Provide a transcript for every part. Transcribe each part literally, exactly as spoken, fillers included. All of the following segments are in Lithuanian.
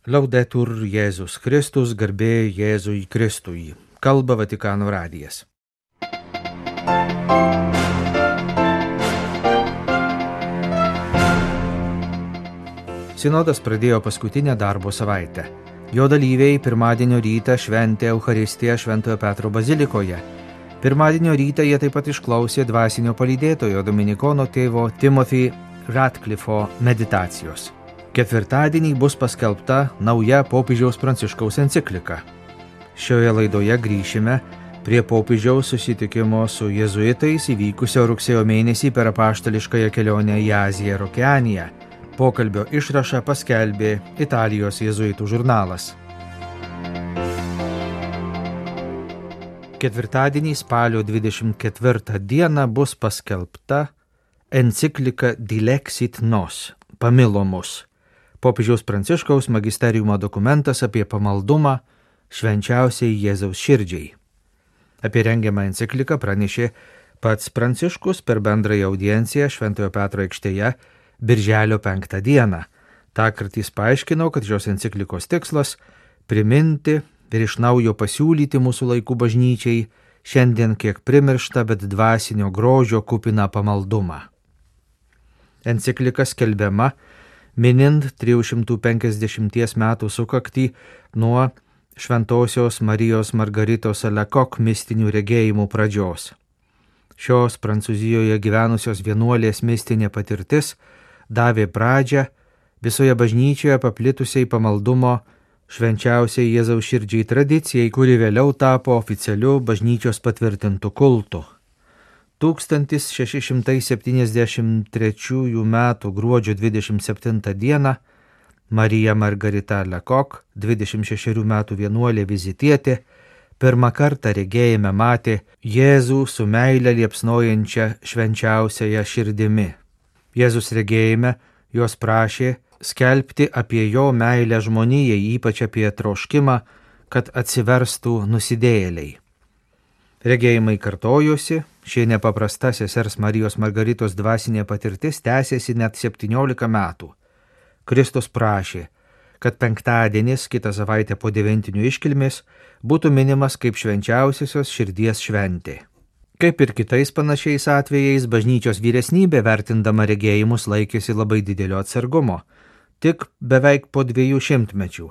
Laudetur Jėzus Kristus, garbė Jėzui Kristui. Kalba Vatikano radijas. Sinodas pradėjo paskutinę darbo savaitę. Jo dalyviai pirmadienio rytą šventė Eucharistiją Šventojo Petro bazilikoje. Pirmadienio rytą jie taip pat išklausė dvasinio palydėtojo dominikono tėvo Timothy Ratcliffo meditacijos. Ketvirtadienį bus paskelbta nauja popiežiaus Pranciškaus enciklika. Šioje laidoje grįšime prie popiežiaus susitikimo su jėzuitais įvykusio rugsėjo mėnesį per apaštališkąją kelionę į Aziją ir Okeaniją. Pokalbio išrašą paskelbė Italijos jėzuitų žurnalas. Ketvirtadienį spalio dvidešimt ketvirtą dieną bus paskelbta enciklika Dilexit Nos, pamilo mus. Popiežiaus Pranciškaus magisteriumo dokumentas apie pamaldumą švenčiausiai Jėzaus širdžiai. Apie rengiamą encikliką pranešė pats Pranciškus per bendrąją audienciją Šventojo Petro aikštėje birželio penktą dieną. Tąkart jis paaiškino, kad šios enciklikos tikslas priminti ir iš naujo pasiūlyti mūsų laikų bažnyčiai šiandien kiek primirštą, bet dvasinio grožio kupiną pamaldumą. Enciklika skelbiama minint trijų šimtų penkiasdešimties metų sukaktį nuo Šventosios Marijos Margaritos Alekok mistinių regėjimų pradžios. Šios Prancūzijoje gyvenusios vienuolės mistinė patirtis davė pradžią visoje bažnyčioje paplitusiai pamaldumo švenčiausiai Jėzaus širdžiai tradicijai, kuri vėliau tapo oficialiu bažnyčios patvirtintu kultu. tūkstantis šeši šimtai septyniasdešimt trečiųjų metų gruodžio dvidešimt septintą dieną Marija Margarita Alekok, dvidešimt šešerių metų vienuolė vizitietė, pirmą kartą regėjime matė Jėzų su meile liepsnojančia švenčiausiaja širdimi. Jėzus regėjime jos prašė skelbti apie jo meilę žmonijai, ypač apie troškimą, kad atsiverstų nusidėjėliai. Regėjimai kartojosi, ši nepaprasta sesers Marijos Margaritos dvasinė patirtis tęsėsi net septyniolika metų. Kristus prašė, kad penktadienis, kitą savaitę po devintinių iškilmės, būtų minimas kaip švenčiausiosios širdies šventė. Kaip ir kitais panašiais atvejais, bažnyčios vyresnybė vertindama regėjimus laikėsi labai didelio atsargumo. Tik beveik po dviejų šimtmečių,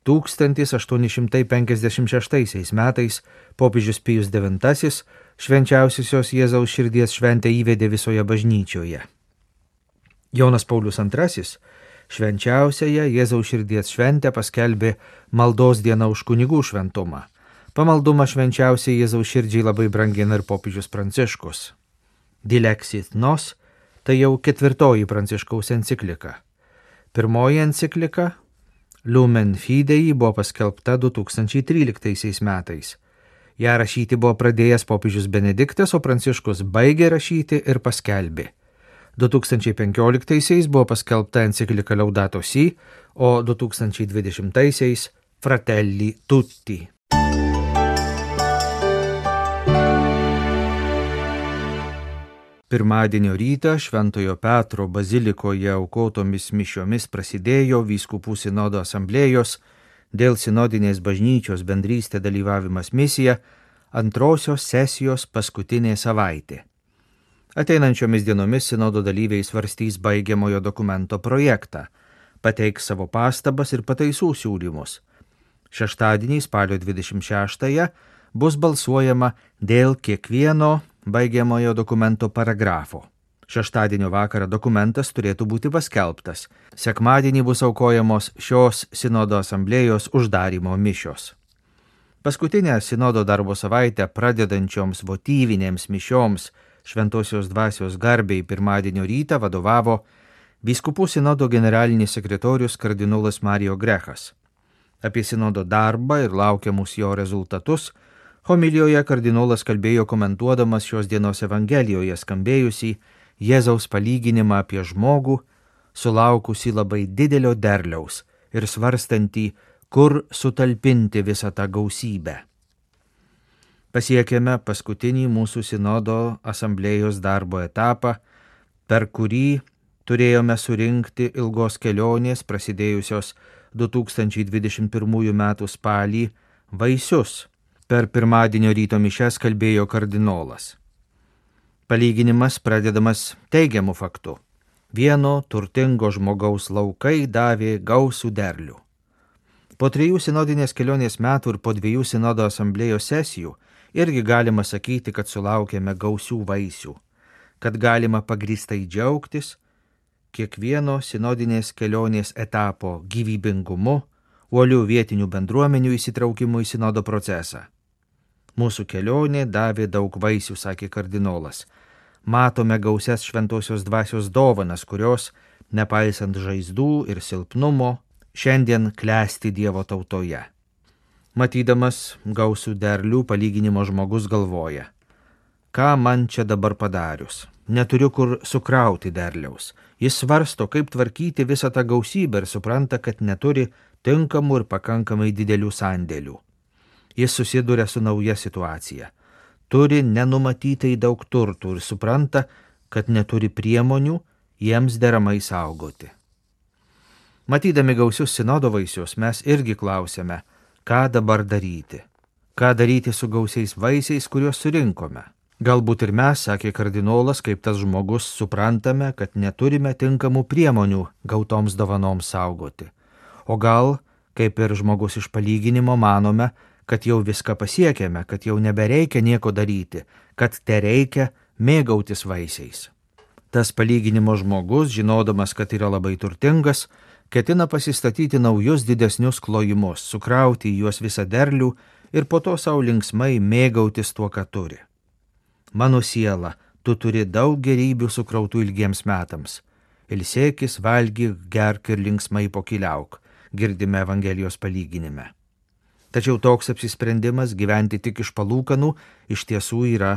tūkstantis aštuoni šimtai penkiasdešimt šeštaisiais metais, popiežius Pijus devintasis švenčiausiosios Jėzaus širdies šventę įvedė visoje bažnyčioje. Jonas Paulius antrasis švenčiausiąją Jėzaus širdies šventę paskelbė maldos diena už kunigų šventumą. Pamaldumą švenčiausiai Jėzaus širdžiai labai brangina ir popiežius Pranciškus. Dilexit Nos tai jau ketvirtoji Pranciškaus enciklika. Pirmoji enciklika Lumen Fidei buvo paskelbta du tūkstančiai tryliktaisiais metais. Ja rašyti buvo pradėjęs popiežius Benediktas, o Pranciškus baigė rašyti ir paskelbė. du tūkstančiai penkioliktaisiais buvo paskelbta enciklika Laudato Si, o du tūkstančiai dvidešimtaisiais Fratelli Tutti. Pirmadienio rytą Šventojo Petro bazilikoje aukotomis mišiomis prasidėjo vyskupų sinodo asamblėjos dėl sinodinės bažnyčios bendrystė dalyvavimas misija antrosios sesijos paskutinė savaitė. Ateinančiomis dienomis sinodo dalyviai svarstys baigiamojo dokumento projektą, pateiks savo pastabas ir pataisų siūlymus. Šeštadienį spalio dvidešimt šeštąją bus balsuojama dėl kiekvieno baigiamojo dokumento paragrafo. Šeštadienio vakarą dokumentas turėtų būti paskelbtas. Sekmadienį bus aukojamos šios sinodo asamblėjos uždarymo mišios. Paskutinę sinodo darbo savaitę pradedančioms votyvinėms mišioms Šventosios dvasios garbei pirmadienio rytą vadovavo vyskupų sinodo generalinis sekretorius kardinolas Mario Grechas. Apie sinodo darbą ir laukiamus jo rezultatus homilijoje kardinolas kalbėjo komentuodamas šios dienos Evangelijoje skambėjusį Jėzaus palyginimą apie žmogų, sulaukusį labai didelio derliaus ir svarstantį, kur sutalpinti visą tą gausybę. Pasiekėme paskutinį mūsų sinodo asamblėjos darbo etapą, per kurį turėjome surinkti ilgos kelionės prasidėjusios du tūkstančiai dvidešimt pirmųjų metų spalį vaisius. Per pirmadienio ryto mišias kalbėjo kardinolas. Palyginimas pradedamas teigiamu faktu. Vieno turtingo žmogaus laukai davė gausų derlių. Po trijų sinodinės kelionės metų ir po dviejų sinodo asamblėjos sesijų irgi galima sakyti, kad sulaukėme gausių vaisių, kad galima pagrįstai džiaugtis kiekvieno sinodinės kelionės etapo gyvybingumu, uolių vietinių bendruomenių įsitraukimu į sinodo procesą. Mūsų kelionė davė daug vaisių, sakė kardinolas. Matome gausias šventosios dvasios dovanas, kurios, nepaisant žaizdų ir silpnumo, šiandien klesti Dievo tautoje. Matydamas gausų derlių palyginimo žmogus galvoja, ką man čia dabar padarius, neturiu kur sukrauti derliaus. Jis svarsto, kaip tvarkyti visą tą gausybę ir supranta, kad neturi tinkamų ir pakankamai didelių sandėlių. Jis susiduria su nauja situacija. Turi nenumatytai daug turtų ir supranta, kad neturi priemonių jiems deramai saugoti. Matydami gausius sinodo vaisius, mes irgi klausėme, ką dabar daryti. Ką daryti su gausiais vaisiais, kuriuos surinkome. Galbūt ir mes, sakė kardinolas, kaip tas žmogus, suprantame, kad neturime tinkamų priemonių gautoms dovanoms saugoti. O gal, kaip ir žmogus iš palyginimo, manome, kad jau viską pasiekėme, kad jau nebereikia nieko daryti, kad tereikia mėgautis vaisiais. Tas palyginimo žmogus, žinodamas, kad yra labai turtingas, ketina pasistatyti naujus didesnius klojimus, sukrauti į juos visą derlių ir po to savo linksmai mėgautis tuo, ką turi. Mano siela, tu turi daug gerybių sukrautų ilgiems metams. Ilsėkis, valgyk, gerk ir linksmai pokyliauk, girdime Evangelijos palyginime. Tačiau toks apsisprendimas gyventi tik iš palūkanų iš tiesų yra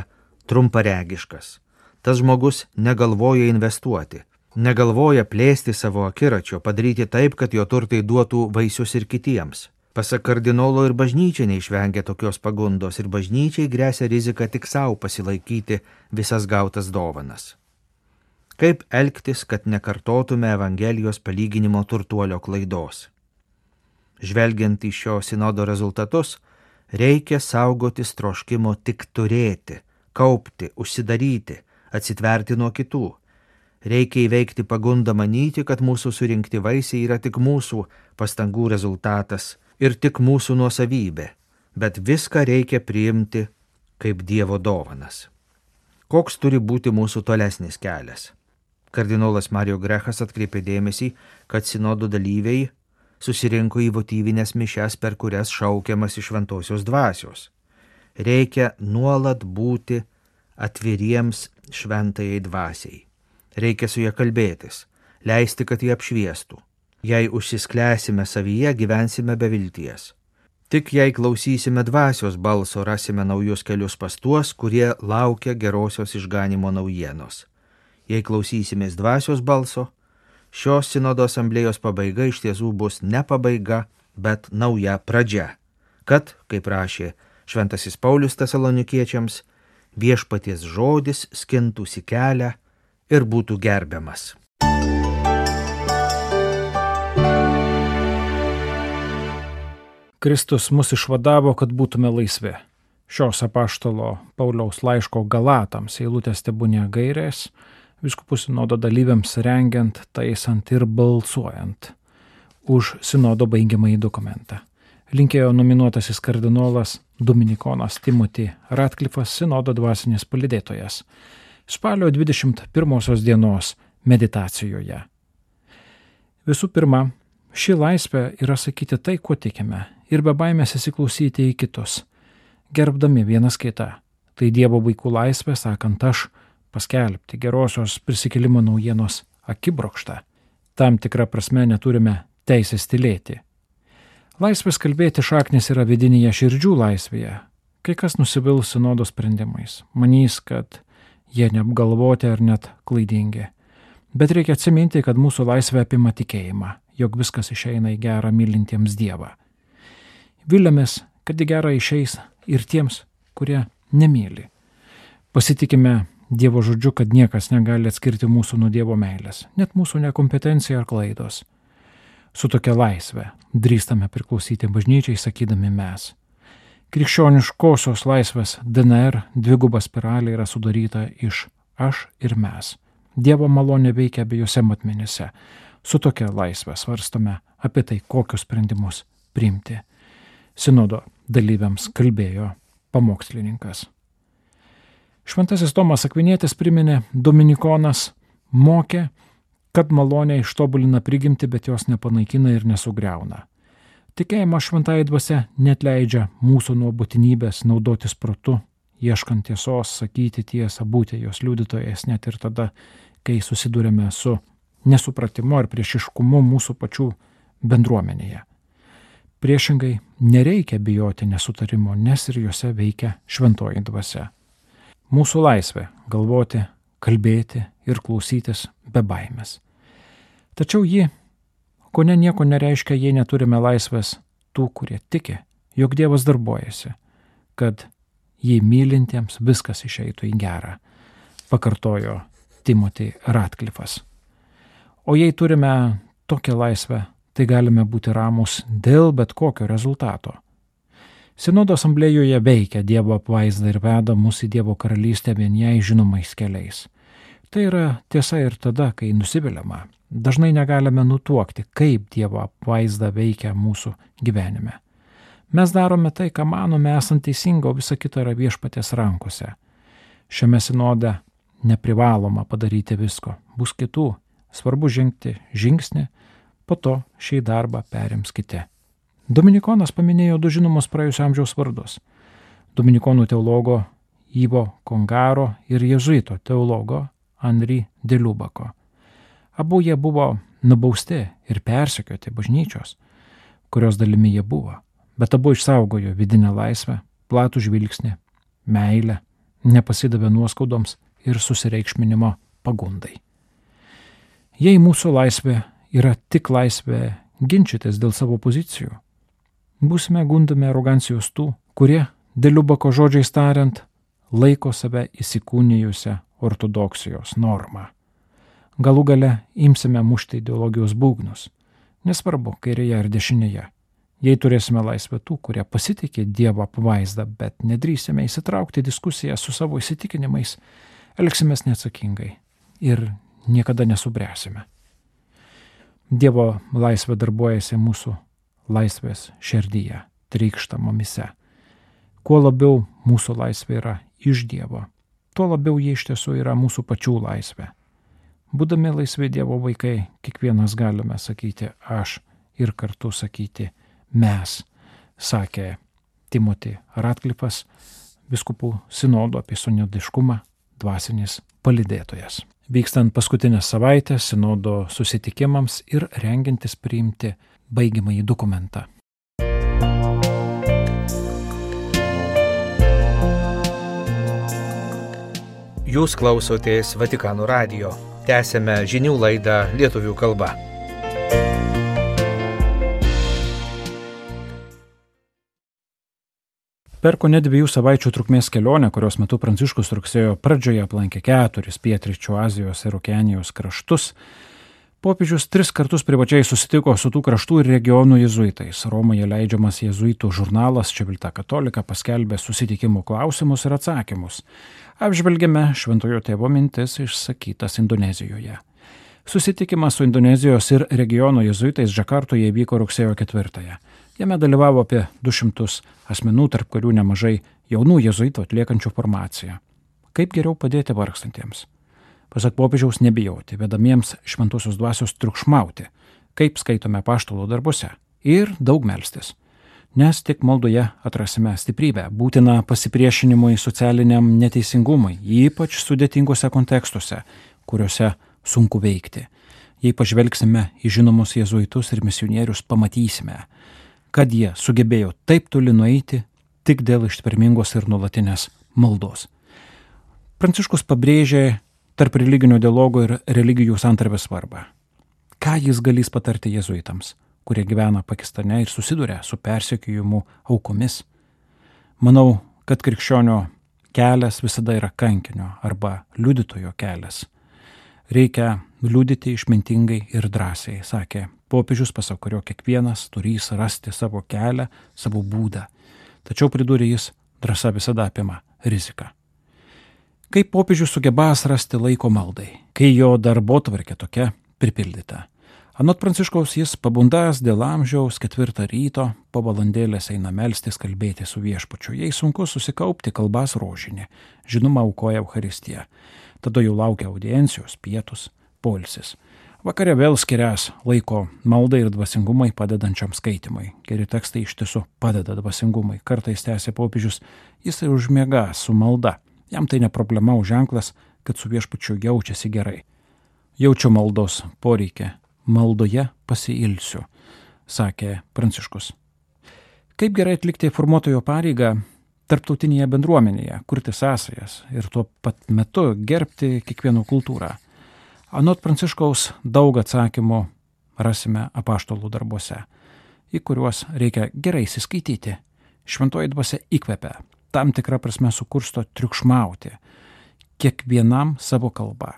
trumparegiškas. Tas žmogus negalvoja investuoti, negalvoja plėsti savo akiračio, padaryti taip, kad jo turtai duotų vaisius ir kitiems. Pasak kardinolo ir bažnyčia neišvengia tokios pagundos ir bažnyčiai gresia rizika tik savo pasilaikyti visas gautas dovanas. Kaip elgtis, kad nekartotume Evangelijos palyginimo turtuolio klaidos? Žvelgiant į šio sinodo rezultatus, reikia saugotis troškimo tik turėti, kaupti, užsidaryti, atsitverti nuo kitų. Reikia įveikti pagundą manyti, kad mūsų surinkti vaisiai yra tik mūsų pastangų rezultatas ir tik mūsų nuosavybė, bet viską reikia priimti kaip Dievo dovanas. Koks turi būti mūsų tolesnis kelias? Kardinolas Mario Grechas atkreipė dėmesį, kad sinodo dalyviai susirinko į votyvinės mišias, per kurias šaukiamas iš šventosios dvasios. Reikia nuolat būti atviriems šventajai dvasiai. Reikia su ja kalbėtis, leisti, kad jį apšviestų. Jei užsisklęsime savyje, gyvensime be vilties. Tik jei klausysime dvasios balso, rasime naujus kelius pas tuos, kurie laukia gerosios išganimo naujienos. Jei klausysimės dvasios balso, šios sinodo asamblėjos pabaiga iš tiesų bus ne pabaiga, bet nauja pradžia, kad, kaip rašė šventasis Paulius Tesalonikiečiams, viešpaties žodis skintųsi kelią ir būtų gerbiamas. Kristus mus išvadavo, kad būtume laisvi. Šios apaštalo Pauliaus laiško Galatams eilutės tebūnie gairės, vyskupų sinodo dalyviams rengiant, taisant ir balsuojant už sinodo baigiamąjį dokumentą. Linkėjo nominuotasis kardinolas dominikonas Timothy Ratcliffas, sinodo dvasinis palydėtojas, spalio dvidešimt pirmosios dienos meditacijoje. Visų pirma, ši laisvė yra sakyti tai, kuo tikime, ir be baimės įsiklausyti į kitus, gerbdami vienas kitą. Tai Dievo vaikų laisvė, sakant aš, paskelbti gerosios prisikėlimo naujienos akibrokštą. Tam tikrą prasme neturime teisės tylėti. Laisvės kalbėti šaknis yra vidinėje širdžių laisvėje. Kai kas nusivils sinodo sprendimais, manys, kad jie neapgalvoti ar net klaidingi. Bet reikia atsiminti, kad mūsų laisvė apima tikėjimą, jog viskas išeina į gerą mylintiems Dievą. Viliamės, kad į gerą išeis ir tiems, kurie nemyli. Pasitikime Dievo žodžiu, kad niekas negali atskirti mūsų nuo Dievo meilės, net mūsų nekompetencija ar klaidos. Su tokia laisve drįstame priklausyti bažnyčiai, sakydami mes. Krikščioniškosios laisvės D N R dviguba spiralė yra sudaryta iš aš ir mes. Dievo malonė veikia abiejose matmenyse. Su tokia laisvė svarstome apie tai, kokius sprendimus priimti. Sinodo dalyviams kalbėjo pamokslininkas. Šventasis Tomas Akvinietis priminė, dominikonas mokė, kad malonė ištobulina prigimtį, bet jos nepanaikina ir nesugriauna. Tikėjimas šventąja dvasia netleidžia mūsų nuo būtinybės naudotis protu, ieškant tiesos, sakyti tiesą, būti jos liudytojais net ir tada, kai susidurėme su nesupratimu ar priešiškumu mūsų pačių bendruomenėje. Priešingai, nereikia bijoti nesutarimo, nes ir juose veikia šventoji dvasia. Mūsų laisvė galvoti, kalbėti ir klausytis be baimės. Tačiau ji, kone nieko nereiškia, jei neturime laisvės tų, kurie tiki, jog Dievas darbuojasi, kad jį mylintiems viskas išeitų į gerą, pakartojo Timothy Ratcliffas. O jei turime tokią laisvę, tai galime būti ramus dėl bet kokio rezultato. Sinodo asamblėjoje veikia Dievo apvaizda ir veda mus į Dievo karalystę vien jai žinomais keliais. Tai yra tiesa ir tada, kai nusiviliama. Dažnai negalime nutuokti, kaip Dievo apvaizda veikia mūsų gyvenime. Mes darome tai, ką manome esant teisinga, o visa kita yra viešpaties rankose. Šiame sinode neprivaloma padaryti visko. Bus kitų. Svarbu žengti žingsnį, po to šį darbą perims kiti. Dominikonas paminėjo du žinomus praėjusio amžiaus vardus. Dominikonų teologo Ivo Kongaro ir jėzuito teologo Henri de Lubako. Abu jie buvo nubausti ir persekioti bažnyčios, kurios dalimi jie buvo, bet abu išsaugojo vidinę laisvę, platų žvilgsnį, meilę, nepasidavė nuoskaudoms ir susireikšminimo pagundai. Jei mūsų laisvė yra tik laisvė ginčytis dėl savo pozicijų, būsime gundami arogancijos tų, kurie, de Lubako žodžiais tariant, laiko save įsikūnijusią ortodoksijos normą. Galų gale imsime mušti ideologijos būgnus, nesvarbu kairėje ar dešinėje. Jei turėsime laisvę tų, kurie pasitikė Dievo apvaizdą, bet nedrįsime įsitraukti diskusiją su savo įsitikinimais, elgsimės neatsakingai ir niekada nesubręsime. Dievo laisvė darbuojasi mūsų laisvės širdyje, trykšta mumyse. Kuo labiau mūsų laisvė yra iš Dievo, tuo labiau jie iš tiesų yra mūsų pačių laisvė. Būdami laisvi Dievo vaikai, kiekvienas galime sakyti aš ir kartu sakyti mes, sakė Timothy Ratcliffas, vyskupų sinodo apie sinodiškumą dvasinis palydėtojas. Vykstant paskutinės savaitės sinodo susitikimams ir rengiantis priimti baigiamąjį dokumentą. Jūs klausotės Vatikano radijo. Tęsėme žinių laidą lietuvių kalba. Per kone dviejų savaičių trukmės kelionę, kurios metu Pranciškus rugsėjo pradžioje aplankė keturis pietryčių Azijos ir Okeanijos kraštus, popiežius tris kartus privačiai susitiko su tų kraštų ir regionų jėzuitais. Romoje leidžiamas jėzuitų žurnalas Civiltà Cattolica paskelbė susitikimų klausimus ir atsakymus. Apžvelgėme Šventojo Tėvo mintis išsakytas Indonezijoje. Susitikimas su Indonezijos ir regiono jėzuitais Džakartoje įvyko rugsėjo ketvirtąją. Jame dalyvavo apie du šimtus asmenų, tarp kurių nemažai jaunų jėzuitų atliekančių formaciją. Kaip geriau padėti vargstantiems? Pasak popiežiaus, nebijoti, vedamiems šventosios dvasios triukšmauti, kaip skaitome apaštalų darbuose, ir daug melstis. Nes tik maldoje atrasime stiprybę, būtiną pasipriešinimui socialiniam neteisingumui, ypač sudėtingose kontekstuose, kuriuose sunku veikti. Jei pažvelgsime į žinomus jėzuitus ir misionierius, pamatysime, kad jie sugebėjo taip toli nueiti tik dėl ištvermingos ir nuolatinės maldos. Pranciškus pabrėžė tarp religinio dialogo ir religijų santarvės svarbą. Ką jis galės patarti jėzuitams, kurie gyvena Pakistane ir susiduria su persekiojimu aukomis? Manau, kad krikščionio kelias visada yra kankinio arba liudytojo kelias. Reikia liudyti išmintingai ir drąsiai, sakė Popiežius, pasak kurio kiekvienas turės rasti savo kelią, savo būdą. Tačiau pridūrė jis, drąsa visada apima riziką. Kaip popiežius sugebąs rasti laiko maldai, kai jo darbotvarkė tokia pripildyta. Anot Pranciškaus jis pabundęs dėl amžiaus ketvirtą ryto, po valandėlės eina melstis kalbėti su viešpačiu. Jei sunku susikaupti, kalbas rožinį, žinoma aukoja Eucharistiją. Tada jau laukia audiencijos, pietus, poilsis. Vakare vėl skirias laiko maldai ir dvasingumai padedančiam skaitimui. Geri tekstai iš tiesų padeda dvasingumui. Kartais tęsia popiežius, jis ir užmiega su malda. Jam tai ne problema, o ženklas, kad su viešpačiu jaučiasi gerai. Jaučiu maldos poreikį, maldoje pasiilsiu, sakė Pranciškus. Kaip gerai atlikti formuotojo pareigą tarptautinėje bendruomenėje, kurti sąsajas ir tuo pat metu gerbti kiekvieno kultūrą. Anot Pranciškaus daug atsakymų rasime apaštalų darbuose, į kuriuos reikia gerai įsiskaityti. Šventoji dvasia įkvepia, tam tikrą prasme sukursto triukšmauti, kiekvienam savo kalbą.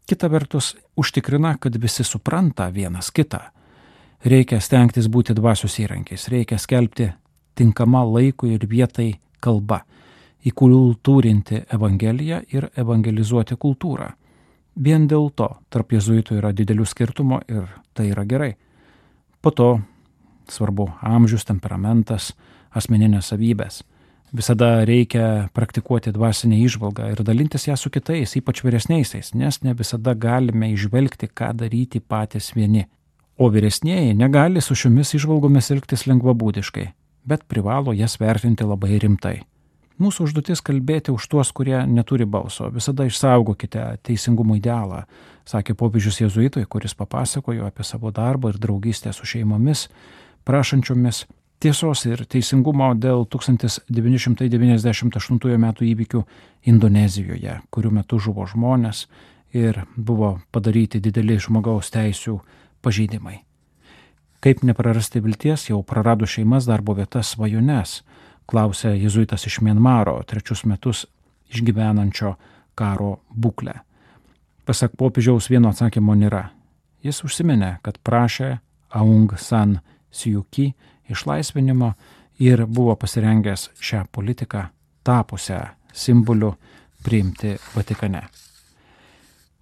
Kita vertus, užtikrina, kad visi supranta vienas kitą. Reikia stengtis būti dvasios įrankiais, reikia skelbti tinkamą laikui ir vietai kalbą, įkultūrinti Evangeliją ir evangelizuoti kultūrą. Vien dėl to tarp jėzuitų yra didelių skirtumų ir tai yra gerai. Po to svarbu amžius, temperamentas, asmeninės savybės. Visada reikia praktikuoti dvasinę įžvalgą ir dalintis ją su kitais, ypač vyresniaisiais, nes ne visada galime išvelgti, ką daryti patys vieni. O vyresnieji negali su šiomis įžvalgomis elgtis lengvabūdiškai, bet privalo jas vertinti labai rimtai. Mūsų užduotis kalbėti už tuos, kurie neturi balso. Visada išsaugokite teisingumo idealą, sakė popiežius jėzuitui, kuris papasakojo apie savo darbą ir draugystę su šeimomis, prašančiomis tiesos ir teisingumo dėl tūkstantis devyni šimtai devyniasdešimt aštuntųjų metų įvykių Indonezijoje, kurių metu žuvo žmonės ir buvo padaryti dideli žmogaus teisių pažeidimai. Kaip neprarasti vilties, jau prarado šeimas, darbo vietas, svajones, klausė jėzuitas iš Mianmaro, trečius metus išgyvenančio karo būklę. Pasak popiežiaus vieno atsakymo nėra. Jis užsiminė, kad prašė Aung San Suu Kyi išlaisvinimo ir buvo pasirengęs šią politiką tapusią simboliu priimti Vatikane.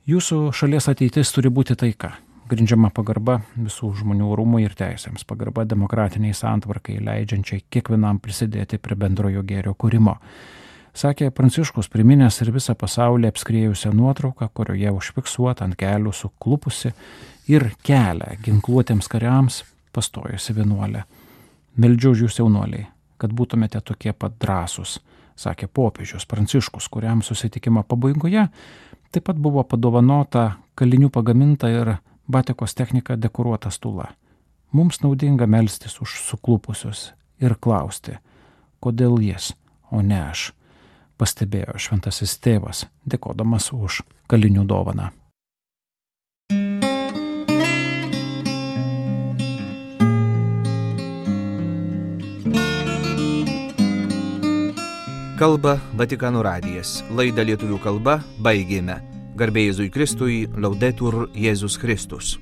Jūsų šalies ateitis turi būti taika, grindžiama pagarba visų žmonių orumui ir teisėms, pagarba demokratiniai santvarkai, leidžiančiai kiekvienam prisidėti prie bendrojo gėrio kūrimo. Sakė Pranciškus, priminęs ir visą pasaulį apskriejusią nuotrauką, kurioje užfiksuota ant kelių suklupusi ir kelią ginkluotiems kariams pastojusi vienuolė. Meldžiu už jūs, jaunuoliai, kad būtumėte tokie pat drąsūs, sakė popiežius Pranciškus, kuriam susitikimo pabaigoje taip pat buvo padovanota kalinių pagaminta ir batikos technika dekoruota stula. Mums naudinga melstis už suklupusius ir klausti, kodėl jis, o ne aš, pastebėjo šventasis tėvas, dėkodamas už kalinių dovaną. Kalba Vatikano radijas. Laidą lietuvių kalba baigėme. Garbė Jėzui Kristui, Laudetur Jėzus Kristus.